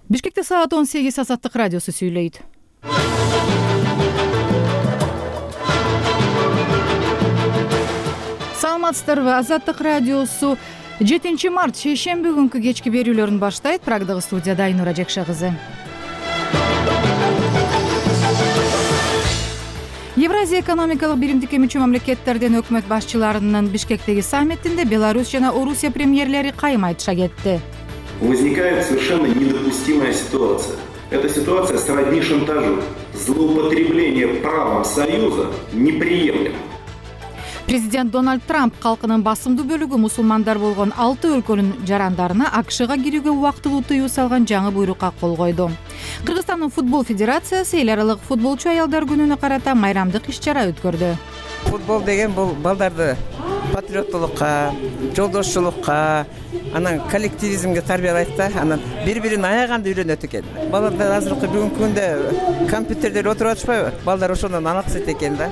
Бишкекте саат 18 Азаттык радиосу сүйлөйт. Саламатсыздарбы? Азаттык радиосу 7 март шейшемби күнкү кечки берүүлөрүн баштайт. Прагдагы студияда Айнура Жекше кызы. Евразия экономикалык биримдикке мүчө мамлекеттердин өкмөт башчыларынын Бишкектеги саммитинде Беларусь жана Орусия премьерлери кайым айтыша кетти. Возникает совершенно недопустимая ситуация. Эта ситуация сродни шантажу. Злоупотребление правом Союза неприемлемо. Президент Дональд Трамп калкынын басымдуу бөлүгү мусулмандар болгон 6 өлкөнүн жарандарына АКШга кирүүгө убактылуу тыюу салган жаңы буйрукка кол койду. Кыргызстандын футбол федерациясы эл аралык футболчу аялдар күнүнө карата майрамдык иш-чара өткөрдү. Футбол деген бул балдарды патриоттулукка, жолдошчулукка, анан коллективизмге тарбиялайт да, анан бири-бирин аяганды үйрөнөт экен. Балдар азыркы бүгүнкү күндө компьютерлер отуруп атышпайбы? Балдар ошондон алаксыт экен да.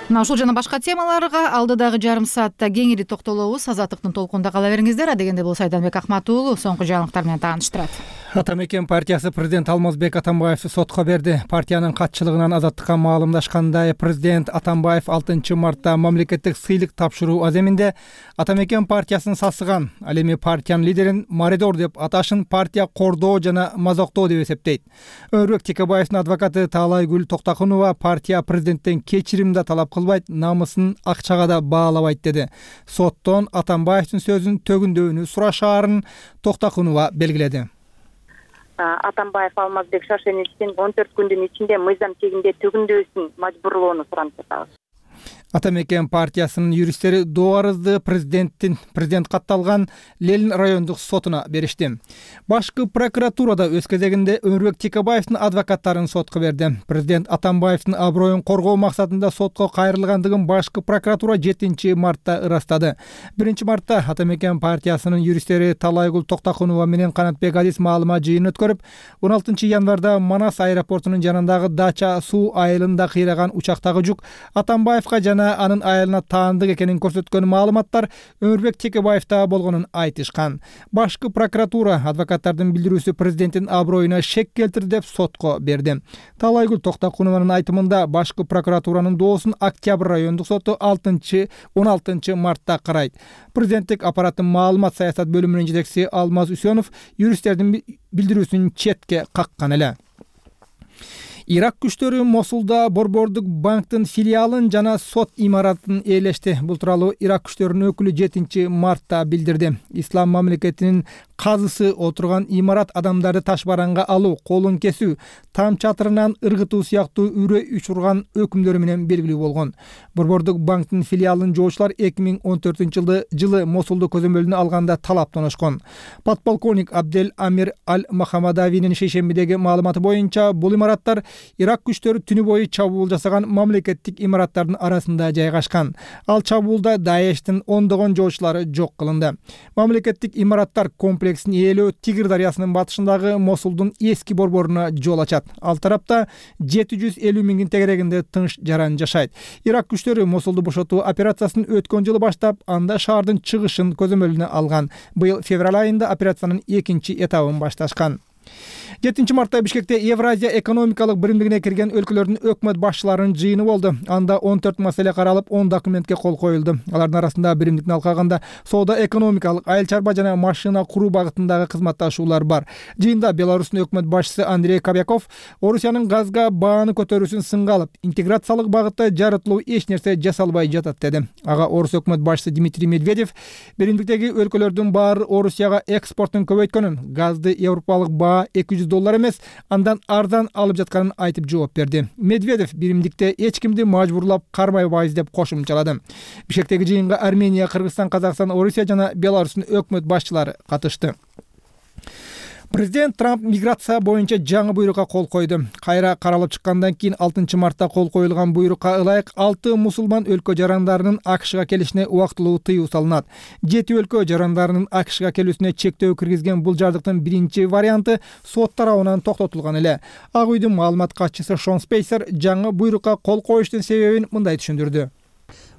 Мына ушул жана башка темаларга алдыдагы жарым саатта кеңири токтолобуз. Азаттыктын толкунда кала бериңиздер. Адегенде болсо Айданбек Акмат уулу соңку жаңылыктар менен тааныштырат. Атамекен партиясы президент Алмазбек Атамбаевди сотко берди. Партиянын катчылыгынан Азаттыкка маалымдашкандай, президент Атамбаев 6 мартта мамлекеттик сыйлык тапшыруу аземинде Атамекен партиясын сасыган, ал эми партиянын лидерин маридор деп аташын партия кордоо жана мазоктоо деп эсептейт. Өрбек Текебаевдин адвокаты Таалайгүл Токтакунова партия президенттен кечирим да талап кылбайт, намысын акчага да баалабайт деди. Соттон Атамбаевдин сөзүн төгүндөөнү сурашаарын Токтакунова белгиледи. Атамбаев Алмазбек Шашеничтин 14 күндүн ичинде мыйзам тегинде төгүндөосүн мажбурлоону суранып жатабыз. Атамекен партиясынын юристтери доо арызды президент катталган Ленин райондук сотуна беришти. Башкы прокуратурада өз кезегинде Өрбек Текебаевдин адвокаттарын сотко берди. Президент Атамбаевдин аброюн коргоо максатында сотко кайрылгандыгын башкы прокуратура 7 мартта ырастады. 1 мартта Атамекен партиясынын юристтери Таалайгүл Токтакунова менен Канатбек Азиз маалымат жыйынын өткөрүп, 16 январда Манас аэропортунун жанындагы Дача суу айылында кыйраган учактагы жүк Атамбаевга жана анын айылына таандык экенин көрсөткөн маалыматтар Өрбек Текебаевда болгонун айтышкан. Башкы прокуратура адвокаттардын билдирүүсү президенттин аброюна шек келтирди деп сотко берди. Таалайгүл Токтакунованын айтымында башкы прокуратуранын доосун Октябрь райондук соту 16 мартта карайт. Президенттик аппараттын маалымат саясат бөлүмүнүн жетекчиси Алмаз Үсөнов юристтердин билдирүүсүн четке каккан эле. Ирак күчтөрү Мосулда Борбордук банктын филиалын жана сот имаратын ээлешти. Бул тууралуу Ирак күчтөрүнүн өкүлү 7 мартта билдирди. Ислам мамлекетинин казысы отурган имарат адамдарды таш бараңга алуу, колун кесүү, там чатырынан ыргытуу сыяктуу үрөй учурган өкүмдөрү менен белгилүү болгон. Борбордук банктын филиалын жоочулар 2014 жылы Мосулду көзөмөлүнө алганда талап тоношкон. Подполковник Абдел Амир Аль-Махамадавинин шейшембидеги маалыматы боюнча бул имараттар Ирак күчтөрү түнү бою чабуул жасаган мамлекеттик имараттардын арасында жайгашкан. Ал чабуулда Даештин ондогон жоочулары жок кылынды. Мамлекеттик имараттар комплексин ээлөө Тигр дарыясынын батышындагы Мосулдун эски борборуна жол ачат. Ал тарапта 750 миңдин тегерегинде тынч жаран жашайт. Ирак күчтөрү Мосулду бошотуу операциясын өткөн жылы баштап, анда шаардын чыгышын көзөмөлүнө алган. Быйыл февраль айында операциянын экинчи этабын башташкан. 7 мартта Бишкекте Евразия экономикалык биримдигине кирген өлкөлөрдүн өкмөт башчыларынын жыйыны болду. Анда 14 маселе каралып, 10 документке кол коюлду. Алардын арасында биримдикти алкаганда соода экономикалык, айыл чарба жана машина куруу багытындагы кызматташуулар бар. Жыйында Беларустун өкмөт башчысы Андрей Кобяков Орусиянын газга бааны көтөрүүсүн сынга алып, интеграциялык багытта жарытылуу эч нерсе жасалбай жатат деди. Ага Орус өкмөт башчысы Дмитрий Медведев биримдиктеги өлкөлөрдүн баары Орусияга экспортун көбөйткөнүн, газды европалык баа $200 эмес, андан арзан алып жатканын айтып жооп берди. Медведев биримдикте эч кимди мажбурлап кармайбайбыз деп кошумчалады. Бишкектеги жыйынга Армения, Кыргызстан, Казакстан, Орусия жана Беларустун өкмөт башчылары катышты. Президент Трамп миграция боюнча жаңы буйрукка кол койду. Кайра каралып чыккандан кийин 6 мартта кол коюлган буйрукка ылайык 6 мусулман өлкө жарандарынын АКШга келишине убактылуу тыюу салынат. 7 өлкө жарандарынын АКШга келүүсүнө чектөө киргизген бул жардыктын биринчи варианты сот тарабынан токтотулган эле. Ак үйдүн маалымат катчысы Шон Спейсер жаңы буйрукка кол коюштун себебин мындай түшүндүрдү.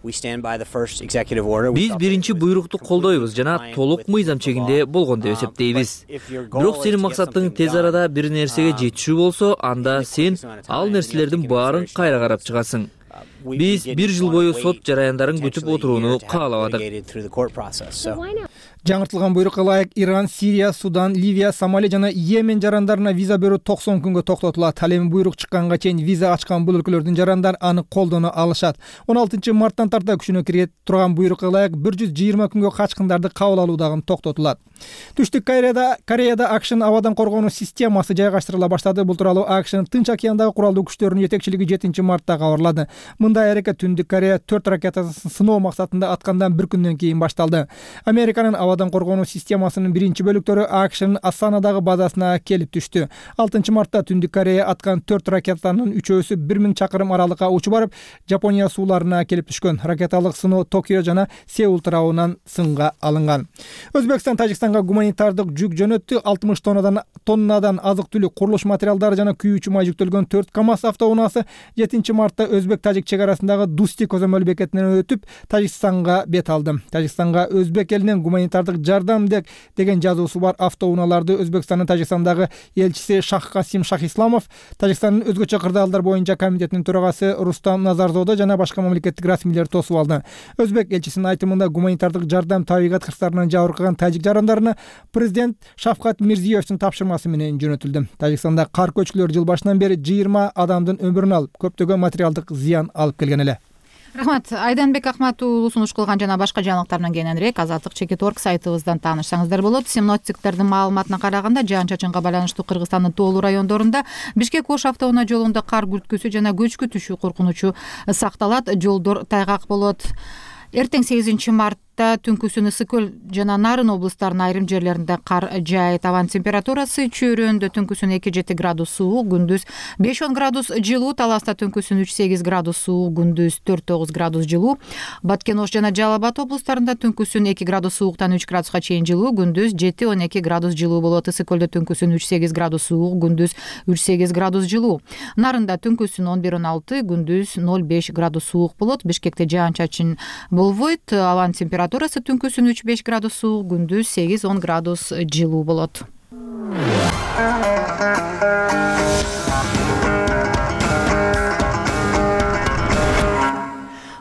Биз биринчи буйрукту колдойбуз жана толук мыйзам чегинде болгон деп эсептейбиз. Бирок сенин максатың тез арада бир нерсеге жетишүү болсо, анда сен ал нерселердин баарын кайра карап чыгасың. Биз 1 жыл бою сот жараяндарын күтүп отурууну каалабадык. Жаңыртылган буйрукка ылайык Иран, Сирия, Судан, Ливия, Сомали жана Йемен жарандарына виза берүү 90 күнгө токтотулат. Ал эми буйрук чыкканга чейин виза ачкан бул өлкөлөрдүн жарандары аны колдоно алышат. 16 марттан тарта күчүнө кире турган буйрукка ылайык 120 күнгө качкындарды кабыл алуу дагы токтотулат. Түштүк Кореяда АКШнын абадан коргонуу системасы жайгаштырыла баштады. Бул тууралуу АКШнын Тынч океандагы куралдуу күчтөрүнүн жетекчилиги 7 мартта кабарлады. Мындай аракет Түндүк Корея 4 ракетасын сыноо максатында аткандан 1 күндөн кийин башталды. Американын абадан коргонуу системасынын биринчи бөлүктөрү АКШнын Асанадагы базасына келип түштү. 6 мартта Түндүк Корея аткан 4 ракетанын 3-өсү 1000 чакырым аралыкка учуп барып, Жапония сууларына келип түшкөн. Ракеталык сыноо Токио жана Сеул тарабынан сынга алынган. Өзбекстан Тажикстанга гуманитардык жүк жөнөттү. 60 тоннадан азык-түлүк, курулуш материалдары жана күйүүчү май жүктөлгөн 4 КАМАЗ автоунаасы 7 мартта Өзбек-Тажик чек арасындагы Дусти көзөмөл бекетинен өтүп, Тажикстанга бет алды. Тажикстанга Өзбек элинен гуманитардык жардам деген жазуусу бар автоунааларды Өзбекстандын Тажикстандагы элчиси Шахкасим Шахисламов, Тажикстандын өзгөчө кырдаалдар боюнча комитетинин төрагасы Рустам Назарзода жана башка мамлекеттик расмийлер тосуп алды. Өзбек элчисинин айтымында гуманитардык жардам табигат кырсыктарынан жабыркаган тажик жарандарына президент Шавкат Мирзиевдин тапшырмасы менен жөнөтүлдү. Тажикстанда кар көчкүлөр жыл башынан бери 20 адамдын өмүрүн алып, көптөгөн материалдык зыян алып келген эле. Рахмат. Айданбек Ахмат уулу сунуш кылган жана башка жаңылыктар менен кененирээк Азаттык.org сайтыбыздан таанышсаңыздар болот. Синоптиктердин маалыматына караганда жаан-чачынга байланыштуу Кыргызстандын тоолуу райондорунда Бишкек-Ош автоунаа жолунда кар күрткүсү жана көчкү түшүү коркунучу сакталат. Жолдор тайгак болот. Эртең 8 мартта түнкүсүн Ысык Көл жана Нарын облустарынын айрым жерлеринде кар жаайт. Абан температурасы чөйрөндө түнкүсүн 2-7 градус суук, күндүз 5-10 градус жылуу, Таласта түнкүсүн 3-8 градус суук, күндүз 4-9 градус жылуу. Баткен-Ош жана Жалал Абад облустарында түнкүсүн 2 градус сууктан 3 градуска чейин жылуу, күндүз 7-12 градус жылуу болот. Ысык Көлдө түнкүсүн 3-8 градус суук, күндүз 3-8 градус жылуу. Нарында түнкүсүн 11-16, күндүз 0-5 градус суук болот. Бишкекте жаан-чачын болбойт. Абан температурасы түнкүсүн 3-5 градус суук, күндүз 8-10 градус жылуу болот.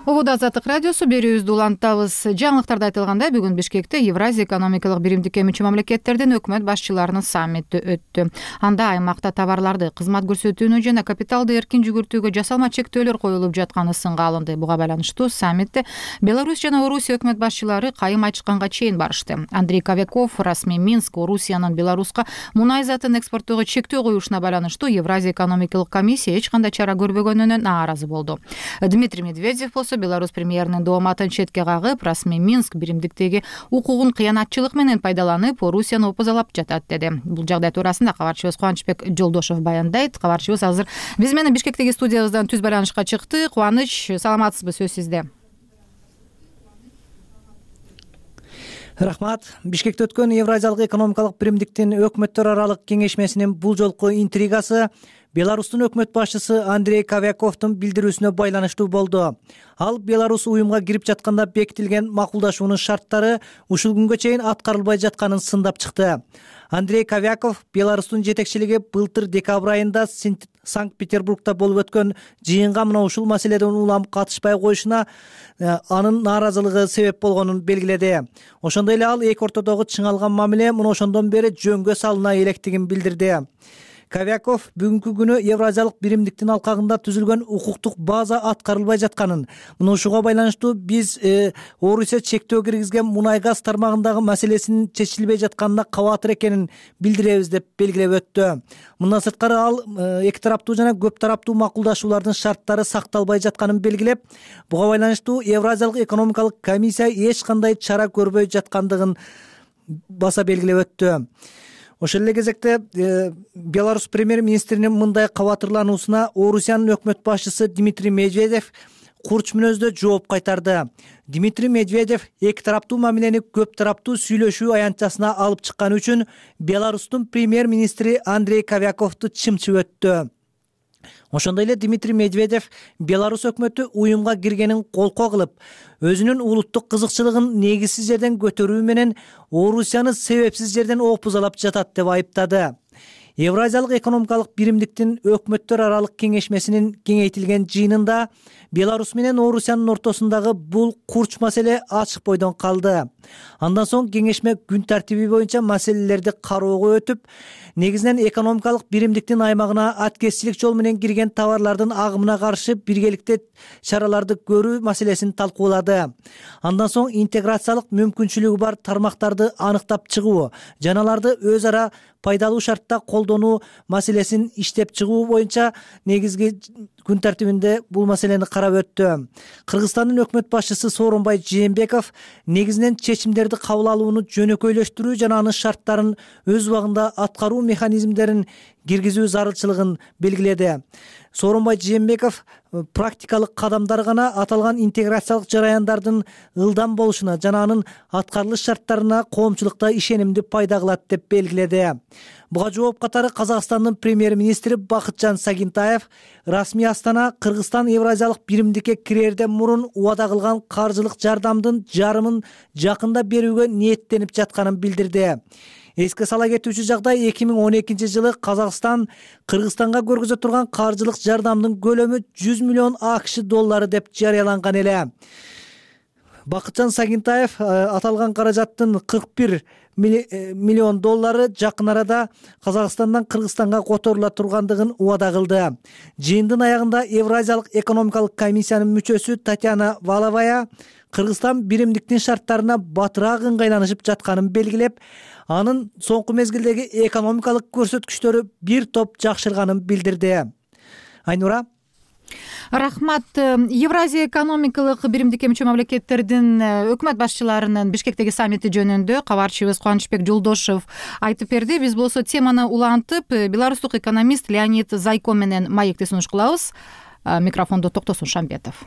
Обода Азаттык радиосу берүүбүздү улантабыз. Жаңылыктарда айтылгандай, бүгүн Бишкекте Евразия экономикалык биримдикке мүчө мамлекеттердин өкмөт башчыларынын саммити өттү. Анда аймакта товарларды, кызмат көрсөтүүнү жана капиталды эркин жүгүртүүгө жасалма чектөөлөр коюлуп жатканы сынга алынды. Буга байланыштуу саммитте Беларусь жана Орусия өкмөт башчылары кайым айтышканга чейин барышты. Андрей Кавяков расмий Минск Орусиянын Беларуска мунай затын экспорттоого чектөө коюшуна байланыштуу Евразия экономикалык комиссия эч кандай чара көрбөгөнүнө нааразы болду. Дмитрий Медведев болсо Беларусь премьеринин дооматын четке кагып, расмий Минск биримдиктеги укугун кыянатчылык менен пайдаланып, Орусияны опозалап жатат деди. Бул жагдай туурасында кабарчыбыз Кубанычбек Жолдошов баяндайт. Кабарчыбыз азыр биз менен Бишкектеги студиябыздан түз байланышка чыкты. Кубаныч, саламатсызбы? Сөз сизде. Рахмат. Бишкекте өткөн Евразиялык экономикалык биримдиктин өкмөттөр аралык кеңешмесинин бул жолку интригасы Беларустун өкмөт башчысы Андрей Кавяковдун билдирүүсүнө байланыштуу болду. Ал Беларусь уюмга кирип жатканда бекитилген макулдашуунун шарттары ушул күнгө чейин аткарылбай жатканын сындап чыкты. Андрей Кавяков Беларустун жетекчилиги былтыр декабрь айында Санкт-Петербургда болуп өткөн жыйынга мына ушул маселеден улам катышпай коюшуна анын нааразылыгы себеп болгонун белгиледи. Ошондой эле ал эки ортодогу чыңалган мамиле мына ошондон бери жөнгө салына электигин билдирди. Кавяков бүгүнкү күнү Евразиялык биримдиктин алкагында түзүлгөн укуктук база аткарылбай жатканын, мына ушуга байланыштуу биз Орусия чектөө киргизген мунай газ тармагындагы маселесинин чечилбей жатканына кабатыр экенин билдиребиз деп белгилеп өттү. Мындан сырткары ал эки тараптуу жана көп тараптуу макулдашуулардын шарттары сакталбай жатканын белгилеп, буга байланыштуу Евразиялык экономикалык комиссия эч кандай чара көрбөй жаткандыгын баса белгилеп өттү. Ошол эле кезекте Беларусь премьер-министринин мындай кабатырлануусуна Орусиянын өкмөт башчысы Дмитрий Медведев курч мүнөздө жооп кайтарды. Дмитрий Медведев эки тараптуу мамилени көп тараптуу сүйлөшүү аянтчасына алып чыкканы үчүн Беларустун премьер-министри Андрей Кавяковду чымчып өттү. Ошондой эле Дмитрий Медведев Беларусь өкмөтү уюмга киргенин колкоо кылып, өзүнүн улуттук кызыкчылыгын негизсиз жерден көтөрүү менен Орусияны себепсиз жерден опузалап жатат деп айыптады. Евразиялык экономикалык биримдиктин өкмөттөр аралык кеңешмесинин кеңейтилген жыйынында Беларусь менен Орусиянын ортосундагы бул курч маселе ачык бойдон калды. Андан соң кеңешме күн тартиби боюнча маселелерди кароого өтүп, негизинен экономикалык биримдиктин аймагына аткезчилик жол менен кирген товарлардын агымына каршы биргеликте чараларды көрүү маселесин талкуулады. Андан соң интеграциялык мүмкүнчүлүгү бар тармактарды аныктап чыгуу жана аларды өз ара пайдалуу шартта колдонуу маселесин иштеп чыгуу боюнча негизги күн тартибинде бул маселени карап өттү. Кыргызстандын өкмөт башчысы Сооронбай Жээнбеков негизинен чечимдерди кабыл алууну жөнөкөйлөштүрүү жана анын шарттарын өз убагында аткаруу механизмдерин киргизүү зарылчылыгын белгиледи. Сооронбай Жээнбеков практикалык кадамдар гана аталган интеграциялык жараяндардын ылдам болушуна жана анын аткарылыш шарттарына коомчулукта ишенимди пайда кылат деп белгиледи. Буга жооп катары Казакстандын премьер-министри Бакытжан Сагинтаев расмий Астана Кыргызстан Евразиялык биримдикке кирерден мурун убада кылган каржылык жардамдын жарымын жакында берүүгө ниеттенип жатканын билдирди. Эске сала кетүүчү жагдай 2012 жылы Казакстан Кыргызстанга көргөзө турган каржылык жардамдын көлөмү 100 миллион АКШ доллары деп жарыяланган эле. Бакытжан Сагинтаев аталган каражаттын 41 миллион доллары жакын арада Казакстандан Кыргызстанга которула тургандыгын убада кылды. Жыйындын аягында Евразиялык экономикалык комиссиянын мүчөсү Татьяна Валовая Кыргызстан биримдиктин шарттарына батыраак ыңгайланышып жатканын белгилеп, анын соңку мезгилдеги экономикалык көрсөткүчтөрү бир топ жакшырганын билдирди. Айнура. Рахмат. Евразия экономикалык биримдикке мүчө мамлекеттердин өкмөт башчыларынын Бишкектеги саммити жөнүндө кабарчыбыз Кубанычбек Жолдошев айтып берди. Биз болсо теманы улантып, беларустук экономист Леонид Зайко менен маекти сунуш кылабыз. Микрофондо Токтосун Шамбетов.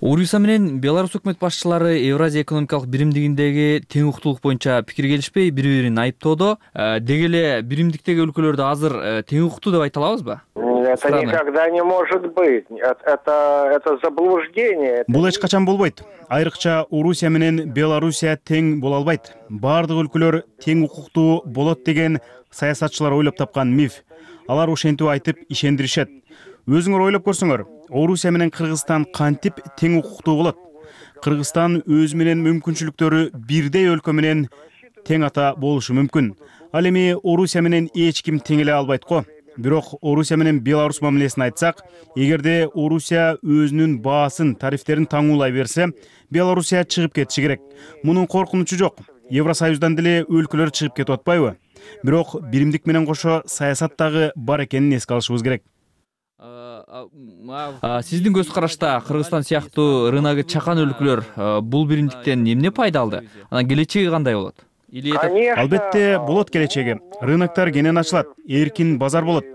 Орусия менен Беларусь өкмөт башчылары Евразия экономикалык биримдигиндеги тең укуктуулук боюнча пикир келишпей, бири-бирин айыптоодо. Деги эле биримдиктеги өлкөлөрдө азыр тең укуктуу деп айта алабызбы? Это никогда не может быть. Это заблуждение. Бул эч качан болбойт. Айрыкча Орусия менен Белоруссия тең боло албайт. Бардык өлкөлөр тең укуктуу болот деген саясатчылар ойлоп тапкан миф. Алар ошентип айтып ишендиришет. Өзүңөр ойлоп көрсөңөр, Орусия менен Кыргызстан кантип тең укуктуу болот? Кыргызстан өз менен мүмкүнчүлүктөрү бирдей өлкө менен тең ата болушу мүмкүн. Ал эми Орусия менен эч ким тең эле албайт го. Бирок Орусия менен Беларусь мамилесин айтсак, эгерде Орусия өзүнүн баасын, тарифтерин таңуулай берсе, Белоруссия чыгып кетиши керек. Мунун коркунучу жок. Евросоюздан деле өлкөлөр чыгып кетип атпайбы? Бирок биримдик менен кошо саясаттагы бар экенин эске алышыбыз керек. Сиздин көз карашта Кыргызстан сыяктуу рыногу чакан өлкөлөр бул биримдиктен эмне пайда алды? Анан келечеги кандай болот? Албетте болот келечеги. Рыноктор кенен ачылат, эркин базар болот.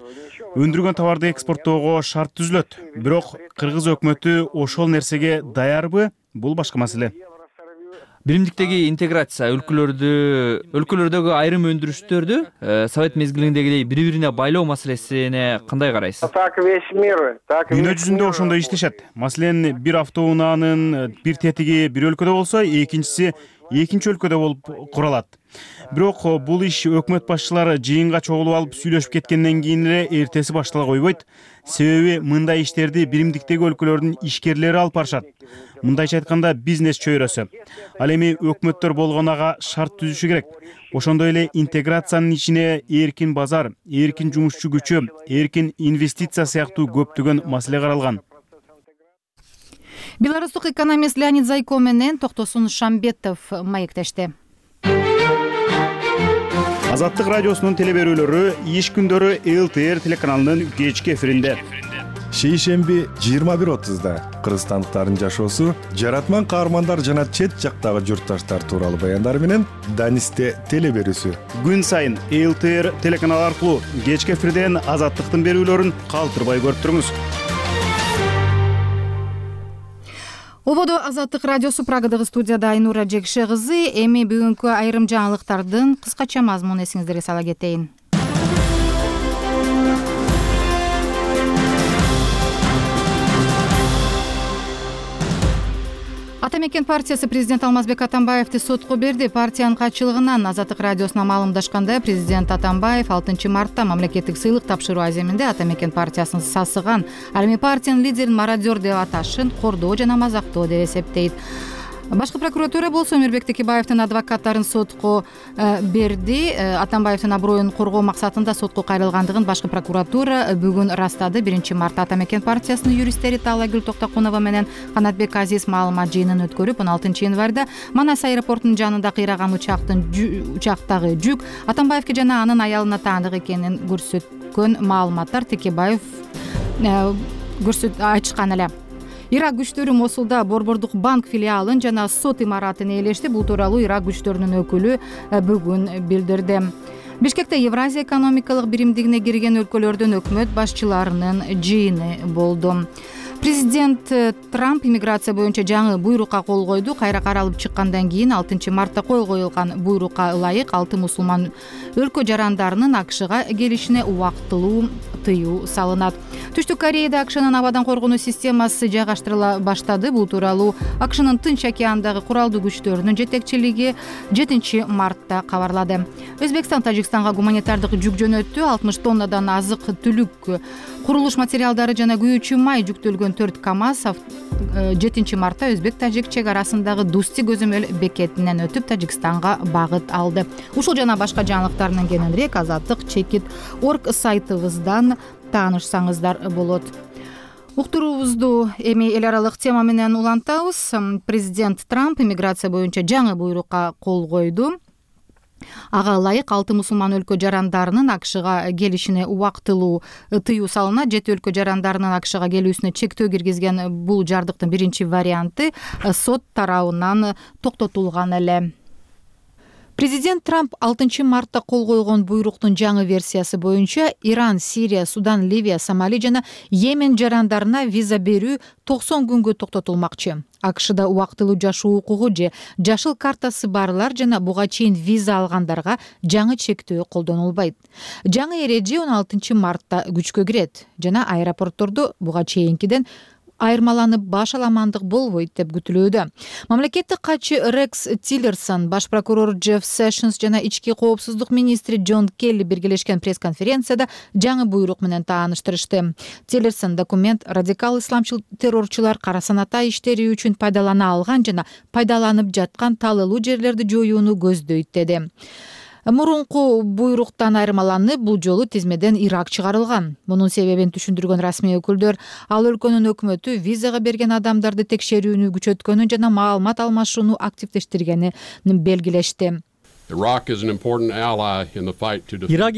Өндүргөн товарды экспорттоого шарт түзүлөт. Бирок кыргыз өкмөтү ошол нерсеге даярбы? Бул башка маселе. Биримдиктеги интеграция өлкөлөрдөгү айрым өндүрүштөрдү совет мезгилиндегидей бири-бирине байлоо маселесине кандай карайсыз? Дүйнө жүзүндө ошондой иштешет. Маселен, бир автоунаанын бир тетиги бир өлкөдө болсо, экинчиси экинчи өлкөдө болуп куралат. Бирок бул иш өкмөт башчылары жыйынга чогулуп алып сүйлөшүп кеткенден кийин эле эртеси баштала койбойт. Себеби мындай иштерди биримдиктеги өлкөлөрдүн ишкерлери алып барышат. Мындайча айтканда бизнес чөйрөсү. Ал эми өкмөттөр болгон ага шарт түзүшү керек. Ошондой эле интеграциянын ичине эркин базар, эркин жумушчу күчү, эркин инвестиция сыяктуу көптөгөн маселе каралган. Беларустук экономист Леонид Зайко менен Токтосун Шамбетов маектешти. Азаттык радиосунун телеберүүлөрү иш күндөрү ЛТР телеканалынын кечки эфиринде. Шейшемби 21:30 кыргызстандыктардын жашоосу, жаратман каармандар жана чет жактагы журтташтар тууралуу баяндар менен Данисте телеберүүсү. Күн сайын ЛТР телеканалы аркылуу кечки эфирден Азаттыктын берүүлөрүн калтырбай көрүп туруңуз. Ободо Азаттык радиосу, Прагадагы студияда Айнура Жекше кызы. Эми бүгүнкү айрым жаңылыктардын кыскача мазмунун эсиңиздерге сала кетейин. Ата мекен партиясы президент Алмазбек Атамбаевди сотко берди. Партиянын катчылыгынан Азаттык радиосуна маалымдашканда президент Атамбаев 6 мартта мамлекеттик сыйлык тапшыруу аземинде Ата мекен партиясын сасыган, ал эми партиянын лидерин мародер деп аташын кордоо жана мазактоо деп эсептейт. Башкы прокуратура болсо Өмүрбек Текебаевдин адвокаттарын сотко берди. Атамбаевдин аброюн коргоо максатында сотко кайрылгандыгын башкы прокуратура бүгүн ырастады. 1 мартта Ата мекен партиясынын юристтери Таалайгүл Токтокунова менен Канатбек Азиз маалымат жыйынын өткөрүп, 16 январда Манас аэропортунун жанында кыйраган учактагы жүк Атамбаевге жана анын аялына таандык экенин көрсөткөн маалыматтар Текебаев айтышкан эле. Ирак күчтөрү Мосулда Борбордук банк филиалын жана сот имаратын ээлешти. Бул тууралуу Ирак күчтөрүнүн өкүлү бүгүн билдирди. Бишкекте Евразия экономикалык биримдигине кирген өлкөлөрдүн өкмөт башчыларынын жыйыны болду. Президент Трамп иммиграция боюнча жаңы буйрукка кол койду. Кайра каралып чыккандан кийин 6 мартта кол коюлган буйрукка ылайык 6 мусулман өлкө жарандарынын АКШга келишине убактылуу тыюу салынат. Түштүк Кореяда АКШнын абадан коргонуу системасы жайгаштырыла баштады. Бул тууралуу АКШнын Тынч океандагы куралдуу күчтөрүнүн жетекчилиги 7 мартта кабарлады. Өзбекстан Тажикстанга гуманитардык жүк жөнөттү. 60 тоннадан азык түлүк, курулуш материалдары жана күйүүчү май жүктөлгөн 4 КАМАЗ 7 мартта Өзбек-Тажик чек арасындагы Дусти көзөмөл бекетинен өтүп Тажикстанга багыт алды. Ушул жана башка жаңылыктардан кененирээк Азаттык.org сайтыбыздан таанышсаңыздар болот. Уктуруубузду эми эл аралык тема менен улантабыз. Президент Трамп иммиграция боюнча жаңы буйрукка кол койду. Ага ылайык 6 мусулман өлкө жарандарынын АКШга келишине убактылуу тыюу салынат. 7 өлкө жарандарынын АКШга келүүсүнө чектөө киргизген бул жардыктын биринчи варианты сот тарабынан токтотулган эле. Президент Трамп 6 мартта кол койгон буйруктун жаңы версиясы боюнча Иран, Сирия, Судан, Ливия, Сомали жана Йемен жарандарына виза берүү 90 күнгө токтотулмакчы. АКШда убактылуу жашоо укугу же жашыл картасы барлар жана буга чейин виза алгандарга жаңы чектөө колдонулбайт. Жаңы эреже 16 мартта күчкө кирет жана аэропорттордо буга чейинкиден айырмаланып баш аламандык болбойт деп күтүлүүдө. Мамлекеттик катчы Рекс Тиллерсон, баш прокурор Джефф Сэшнс жана ички коопсуздук министри Джон Келли биргелешкен пресс-конференцияда жаңы буйрук менен тааныштырышты. Тиллерсон документ радикал исламчыл террорчулар кара саната иштери үчүн пайдалана алган жана пайдаланып жаткан талылуу жерлерди жоюуну көздөйт деди. Мурунку буйруктан айырмаланып, бул жолу тизмеден Ирак чыгарылган. Мунун себебин түшүндүргөн расмий өкүлдөр ал өлкөнүн өкмөтү визага берген адамдарды текшерүүнү күчөткөнү жана маалымат алмашууну активдештиргенин белгилешти. Ирак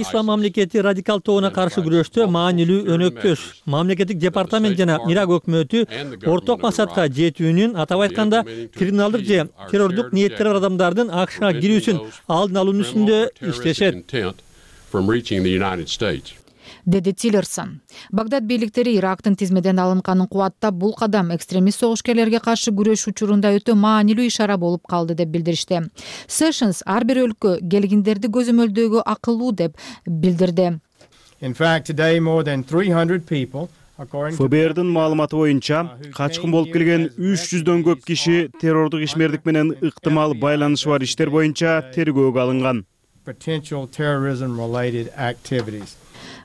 ислам мамлекети радикал тобуна каршы күрөштө маанилүү өнөктөш. Мамлекеттик департамент жана Ирак өкмөтү орток максатка жетүүнүн, атап айтканда, криминалдык же террордук ниеттери бар адамдардын АКШга кирүүсүн алдын алуу үстүндө иштешет, деди Тиллерсон. Багдад бийликтери Ирактын тизмеден алынганын кубаттап, бул кадам экстремист согушкерлерге каршы күрөш учурунда өтө маанилүү ишара болуп калды деп билдиришти. Сэшнс ар бир өлкө келгиндерди көзөмөлдөөгө акылуу деп билдирди. ФБРдин маалыматы боюнча, качкын болуп келген 300дөн көп киши террордук ишмердик менен ыктымал байланышы бар иштер боюнча тергөөгө алынган.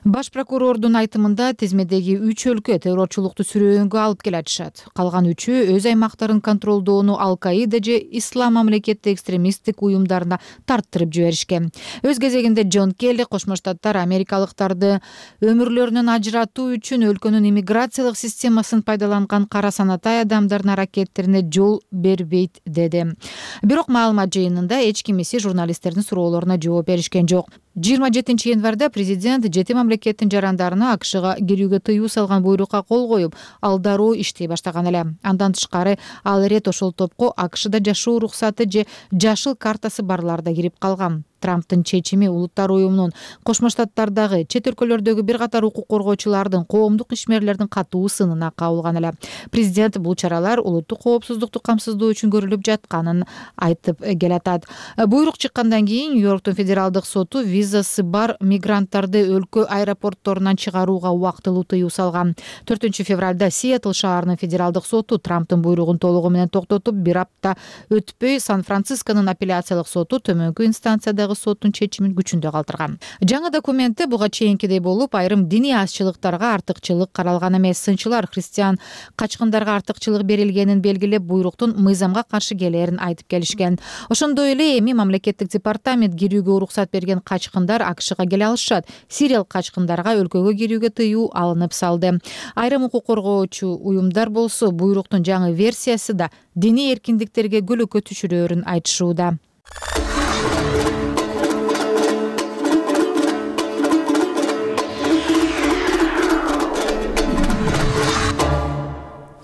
Баш прокурордун айтымында тизмедеги 3 өлкө террорчулукту сүрөөнгө алып келатышат. Калган 3-ü өз аймактарын контролдоону Ал-Каида же Ислам мамлекети экстремисттик уюмдарына тарттырып жиберишкен. Өз кезегинде Джон Келли Кошмо Штаттар америкалыктарды өмүрлөрүнөн ажыратуу үчүн өлкөнүн иммиграциялык системасын пайдаланган кара санатай адамдардын аракеттерине жол бербейт деди. Бирок маалымат жыйынында эч кимиси журналисттердин суроолоруна жооп беришкен жок. 27 январда президент 7 мамлекеттин жарандарына АКШга кирүүгө тыюу салган буйрукка кол коюп, ал дароо иштей баштаган эле. Андан тышкары ал ирет ошол топко АКШда жашоо уруксаты же жашыл картасы барлар да кирип калган. Трамптын чечими улуттар уюмунун Кошмо Штаттардагы чет өлкөлөрдөгү бир катар укук коргоочулардын коомдук ишмерлердин катуу сынына кабылган эле. Президент бул чаралар улуттук коопсуздукту камсыздоо үчүн көрүлүп жатканын айтып келатат. Буйрук чыккандан кийин Нью-Йорктун федералдык соту визасы бар мигранттарды өлкө аэропортторунан чыгарууга убактылуу тыюу салган. 4-февралда Сиэтл шаарынын федералдык соту Трамптын буйругун толугу менен токтотуп, бир апта өтпөй Сан-Францисконун апелляциялык соту төмөнкү инстанциядагы соттун чечимин күчүндө калтырган. Жаңы документте буга чейинкидей болуп, айрым диний азчылыктарга артыкчылык каралган эмес. Сынчылар христиан качкындарга артыкчылык берилгенин белгилеп, буйруктун мыйзамга каршы келерин айтып келишкен. Ошондой эле эми мамлекеттик департамент кирүүгө уруксат берген качкындар АКШга келе алышат. Сириялык качкындарга өлкөгө кирүүгө тыюу алынып салды. Айрым укук коргоочу уюмдар болсо буйруктун жаңы версиясы да диний эркиндиктерге көлөкө түшүрөөрүн айтышууда.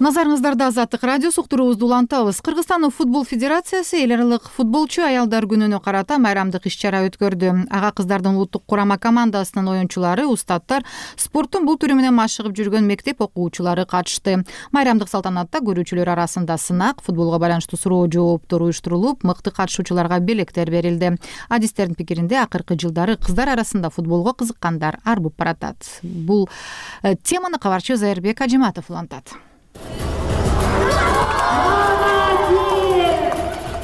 Назарыңыздарда Азаттык радиосу, уктуруубузду улантабыз. Кыргызстандын футбол федерациясы эл аралык футболчу аялдар күнүнө карата майрамдык иш-чара өткөрдү. Ага кыздардын улуттук курама командасынын оюнчулары, устаттар, спорттун бул түрү менен машыгып жүргөн мектеп окуучулары катышты. Майрамдык салтанатта көрүүчүлөр арасында сынак, футболго байланыштуу суроо жооптор уюштурулуп, мыкты катышуучуларга белектер берилди. Адистердин пикиринде, акыркы жылдары кыздар арасында футболго кызыккандар арбып баратат. Бул теманы кабарчы Зайырбек Ажиматов улантат.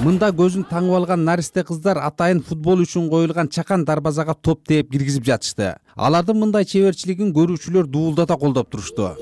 Мында көзүн таңып алган наристе кыздар атайын футбол үчүн коюлган чакан дарбазага топ тээп киргизип жатышты. Алардын мындай чеберчилигин көрүүчүлөр дуулдата колдоп турушту.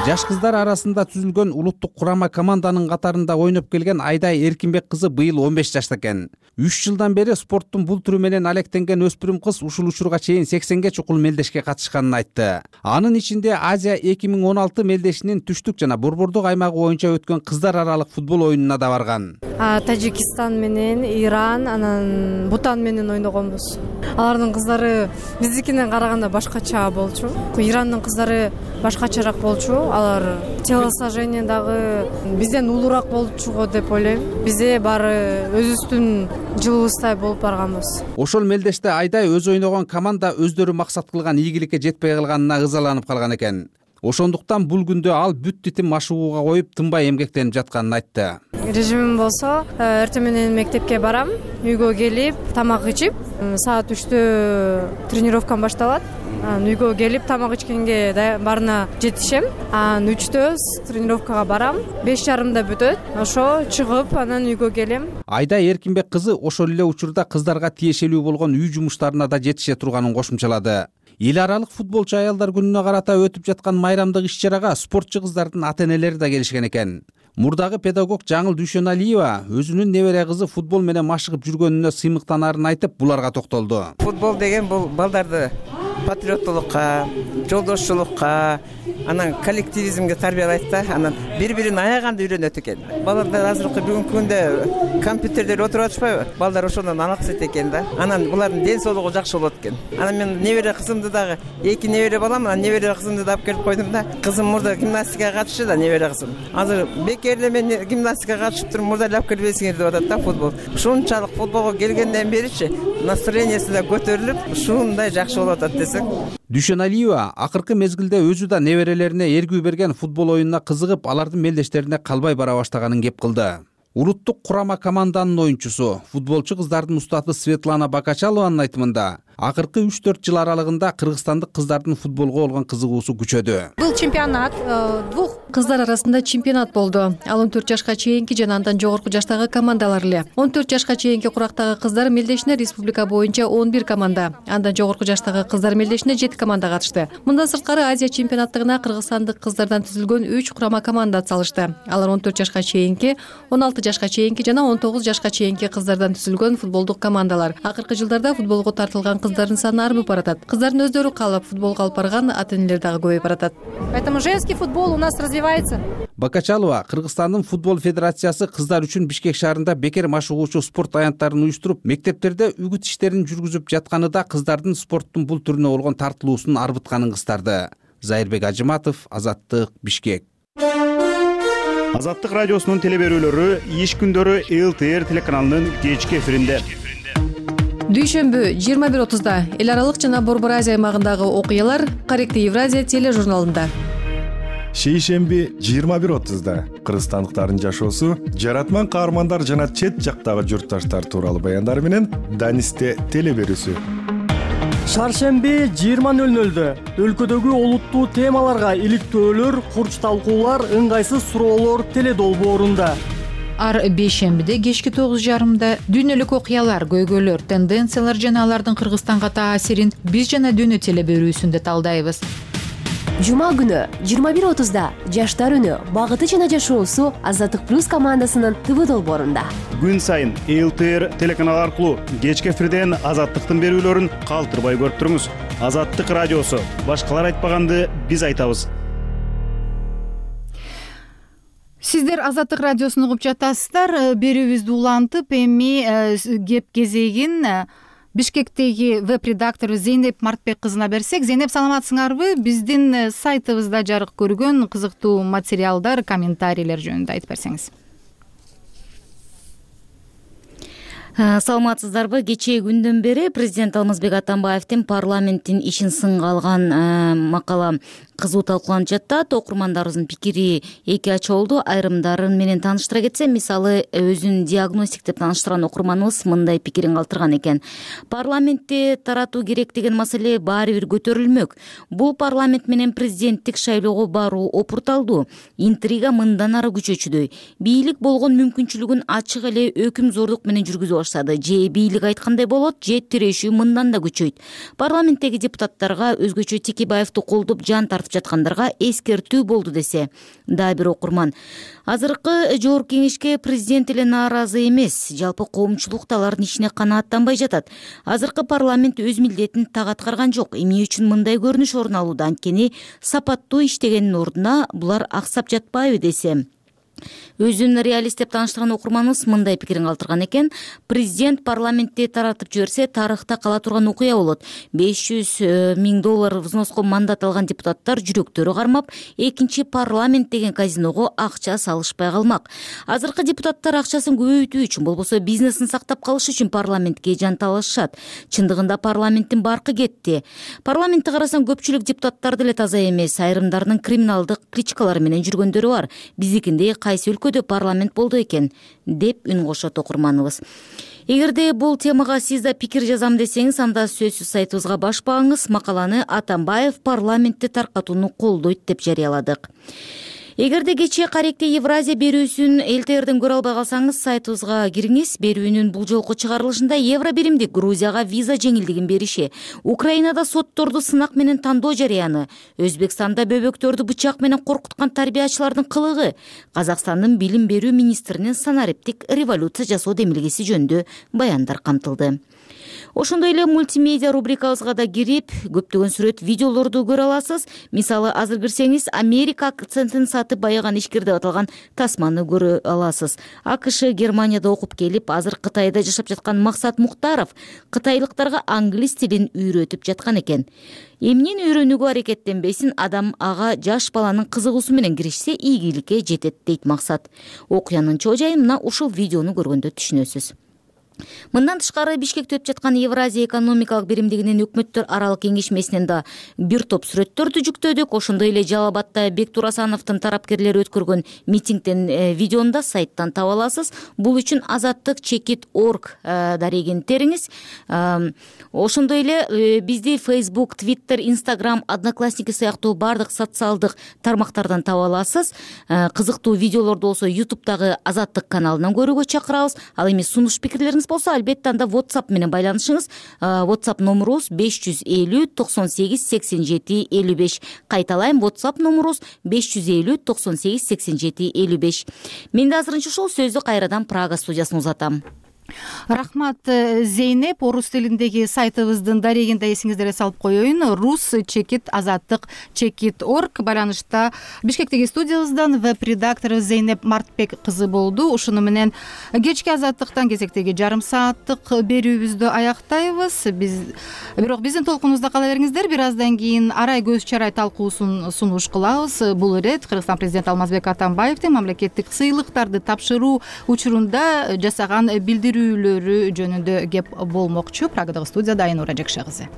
Жаш кыздар арасында түзүлгөн улуттук курама команданын катарында ойноп келген Айдай Эркинбек кызы быйыл 15 жашта экен. 3 жылдан бери спорттун бул түрү менен алектенген өспүрүм кыз ушул учурга чейин 80ге чукул мелдешке катышканын айтты. Анын ичинде Азия 2016 мелдешинин түштүк жана борбордук аймагы боюнча өткөн кыздар аралык футбол оюнуна да барган. Тажикстан менен, Иран, анан Бутан менен ойногонбуз. Алардын кыздары биздикинен караганда башкача болчу. Ирандын кыздары башкачараак болчу. Алар телосложение дагы бизден улураак болчу го деп ойлойм. Бизде баары өзүбүздүн жылыбыздай болуп барганбыз. Ошол мелдеште Айдай өз ойногон команда өздөрү максат кылган ийгиликке жетпей калганына ызаланып калган экен. Ошондуктан бул күндө ал бүт титим машыгууга коюп, тынбай эмгектенип жатканын айтты. Режимим болсо, эртең менен мектепке барам, үйгө келип, тамак ичип, саат 3-тө тренировкам башталат. Үйгө келип, тамак ичкенге барына жетишем. 3-тө тренировкага барам, 5:30 бүтөт. Ошо чыгып, анан үйгө келем. Айдай Эркинбек кызы ошол эле учурда кыздарга тиешелүү болгон үй жумуштарына да жетише турганын кошумчалады. Эл аралык футболчу аялдар күнүнө карата өтүп жаткан майрамдык иш-чарага спортчу кыздардын ата-энелери да келишкен экен. Мурдагы педагог Жаңыл Дүйшөналиева өзүнүн небере кызы футбол менен машыгып жүргөнүнө сыймыктанаарын айтып, буларга токтолду. Футбол деген бул балдарды патриоттулукка, жолдошчулукка, анан коллективизмге тарбиялайт да, анан бири-бирин аяганды үйрөнөт экен. Балдар азыркы бүгүнкү күндө компьютерде отуруп атышпайбы? Балдар ошондон алаксат экен да. Анан булардын ден соолугу жакшы болот экен. Анан мен небере кызымды дагы 2 небере балам, анан небере кызымды да алып келип койдум да. Кызым мурда гимнастикага катышты да, небере кызым. Азыр бекерле мен гимнастикага катышып туруп, мурда алып келбесиңер деп атат да футбол. Ушунчалык футболго келгенден беричи настроениясы да көтөрүлүп, ушундай жакшы болуп атат десек. Дүйшөналиева акыркы мезгилде өзү да неберелерине эргүү берген футбол оюнуна кызыгып, алардын мелдештерине калбай бара баштаганын кеп кылды. Улуттук курама команданын оюнчусу, футболчу кыздардын устаты Светлана Бакачалованын айтымында, акыркы 3-4 жыл аралыгында кыргызстандык кыздардын футболго болгон кызыгуусу күчөдү. Бул чемпионат двух кыздар арасында чемпионат болду. Ал 14 жашка чейинки жана андан жогорку жаштагы командалар эле. 14 жашка чейинки курактагы кыздар мелдешине республика боюнча 11 команда, андан жогорку жаштагы кыздар мелдешине 7 команда катышты. Мындан сырткары Азия чемпионаттыгына кыргызстандык кыздардан түзүлгөн 3 курама команда атсалышты. Алар 14 жашка чейинки, 16 жашка чейинки жана 19 жашка чейинки кыздардан түзүлгөн футболдук командалар. Акыркы жылдарда футболго тартылган кыздардын саны арбып баратат. Кыздардын өздөрү каалап футболго алып барган ата-энелер дагы көбөйүп баратат. Поэтому женский футбол у нас развивается. Бакачалова Кыргызстандын футбол федерациясы кыздар үчүн Бишкек шаарында бекер машыгуучу спорт аянттарын уюштуруп, мектептерде үгүт иштерин жүргүзүп жатканы да кыздардын спорттун бул түрүнө болгон тартылуусун арбытканын кыстарды. Зайырбек Ажиматов, Азаттык, Бишкек. Азаттык радиосунун теле берүүлөрү иш күндөрү ЛТР телеканалынын кечки эфиринде. Дүйшөмбү 21:30 эл аралык жана Борбор Азия аймагындагы окуялар Корректив Евразия тележурналында. Шейшемби 21:30 кыргызстандыктардын жашоосу, жаратман каармандар жана чет жактагы журтташтар тууралуу баяндар менен Данисте теле берүүсү. Шаршемби 20:00 өлкөдөгү олуттуу темаларга иликтөөлөр, курч талкуулар, ыңгайсыз суроолор теле долбоорунда. Ар бейшембиде кечки 9:30 дүйнөлүк окуялар, көйгөйлөр, тенденциялар жана алардын Кыргызстанга таасирин биз жана дүйнө теле берүүсүндө талдайбыз. Жума күнү 21:30 жаштар үнү, багыты жана жашоосу Азаттык плюс командасынын ТВ долбоорунда. Күн сайын ЛТР телеканалы аркылуу кечки эфирден Азаттыктын берүүлөрүн калтырбай көрүп туруңуз. Азаттык радиосу, башкалар айтпаганды биз айтабыз. Сиздер Азаттык радиосун угуп жатасыздар. Берүүбүздү улантып, эми кеп кезегин Бишкектеги веб-редактору Зейнеп Мартбек кызына берсек. Зейнеп, саламатсыңарбы? Биздин сайтыбызда жарык көргөн кызыктуу материалдар, комментарийлер жөнүндө айтып берсеңиз. Саламатсыздарбы? Кечээ күндөн бери президент Алмазбек Атамбаевдин парламенттин ишин сынга алган макала кызуу талкууланып жатат. Окурмандарыбыздын пикири эки ача болду. Айрымдарын менен тааныштыра кетсем, мисалы өзүн диагностик деп тааныштырган окурманыбыз мындай пикирин калтырган экен. Парламентти таратуу керек деген маселе баары бир көтөрүлмөк. Бул парламент менен президенттик шайлоого баруу опурталдуу. Интрига мындан ары күчөчүдөй. Бийлик болгон мүмкүнчүлүгүн ачык эле өкүмзордук менен жүргүзө баштады. Же бийлик айткандай болот, же тирешүү мындан да күчөйт. Парламенттеги депутаттарга, өзгөчө Текебаевди колдоп жан тартып жаткандарга эскертүү болду десе. Дагы бир окурман: азыркы жогорку кеңешке президент эле нааразы эмес, жалпы коомчулук да алардын ишине канааттанбай жатат. Азыркы парламент өз милдетин так аткарган жок. Эмне үчүн мындай көрүнүш орун алууда? Анткени сапаттуу иштегендин ордуна булар аксап жатпайбы десе. Өзүн реалист деп тааныштырган окурманыбыз мындай пикирин калтырган экен. Президент парламентти таратып жиберсе, тарыхта кала турган окуя болот. $500 000 взноско мандат алган депутаттар жүрөктөрү кармап, экинчи парламент деген казиного акча салышпай калмак. Азыркы депутаттар акчасын көбөйтүү үчүн, болбосо бизнесин сактап калыш үчүн парламентке жанталашышат. Чындыгында парламенттин баркы кетти. Парламентти карасаң, көпчүлүк депутаттар деле таза эмес. Айрымдарынын криминалдык кличкалары менен жүргөндөрү бар. Биздикинде кайсы өлкөдө парламент болду экен, деп үн кошот окурманыбыз. Эгерде бул темага сиз да пикир жазам десеңиз, анда сөзсүз сайтыбызга баш багыңыз. Макаланы Атамбаев парламентти таркатууну колдойт деп жарыяладык. Эгерде кечээ Корректив Евразия берүүсүн ЛТРден көрө албай калсаңыз, сайтыбызга кириңиз. Берүүнүн бул жолку чыгарылышында евро биримдик Грузияга виза жеңилдигин бериши, Украинада сотторду сынак менен тандоо жарыяны, Өзбекстанда бөбөктөрдү бычак менен коркуткан тарбиячылардын кылыгы, Казакстандын билим берүү министринин санариптик революция жасоо демилгеси жөнүндө баяндар камтылды. Ошондой эле мультимедиа рубрикабызга да кирип, көптөгөн сүрөт, видеолорду көрө аласыз. Мисалы, азыр кирсеңиз, Америка акцентин сатып байыган ишкер деп аталган тасманы көрө аласыз. АКШ Германияда окуп келип, азыр Кытайда жашап жаткан Максат Муктаров кытайлыктарга англис тилин үйрөтүп жаткан экен. Эмнени үйрөнүүгө аракеттенбесин, адам ага жаш баланын кызыгуусу менен киришсе, ийгиликке жетет дейт Максат. Окуянын чоо жайын мына ушул видеону көргөндө түшүнөсүз. Мындан тышкары, Бишкекте өтүп жаткан Евразия экономикалык биримдигинин өкмөттөр аралык кеңешмесинен да бир топ сүрөттөрдү жүктөдүк. Ошондой эле Жалал Абадта Бектур Асановдун тарапкерлери өткөргөн митингден видеону да сайттан таба аласыз. Бул үчүн azattik.org дарегин териңиз. Ошондой эле бизди Facebook, Twitter, Instagram, Одноклассники сыяктуу бардык социалдык тармактардан таба аласыз. Кызыктуу видеолорду болсо YouTube'дагы Азаттык каналынан көрүүгө чакырабыз. Ал эми сунуш пикирлериңиз болсо, албетте анда WhatsApp менен байланышыңыз. WhatsApp номерубуз 550 98 87 55. Кайталайм, WhatsApp номерубуз 550 98 87 55. Мен да азырынча ушул сөздү кайрадан Прага студиясына узатам. Рахмат, Зейнеп. Орус тилиндеги сайтыбыздын дарегинде эсиңиздерге салып коеюн. rus-azаттык.org байланышта Бишкектеги студиябыздан веб-редактору Зейнеп Мартбек кызы болду. Ушуну менен кечки Азаттыктан кезектеги жарым сааттык берүүбүздү аяктайбыз. Бирок биздин толкунубузда кала бериңиздер. Бир аздан кийин арай көз чарай талкуусун сунуш кылабыз. Бул ирет Кыргызстан президенти Алмазбек Атамбаевдин мамлекеттик сыйлыктарды тапшыруу учурунда жасаган билдирүүлөрү жөнүндө кеп болмокчу. Прагадагы студияда Айнура Жакша кызы.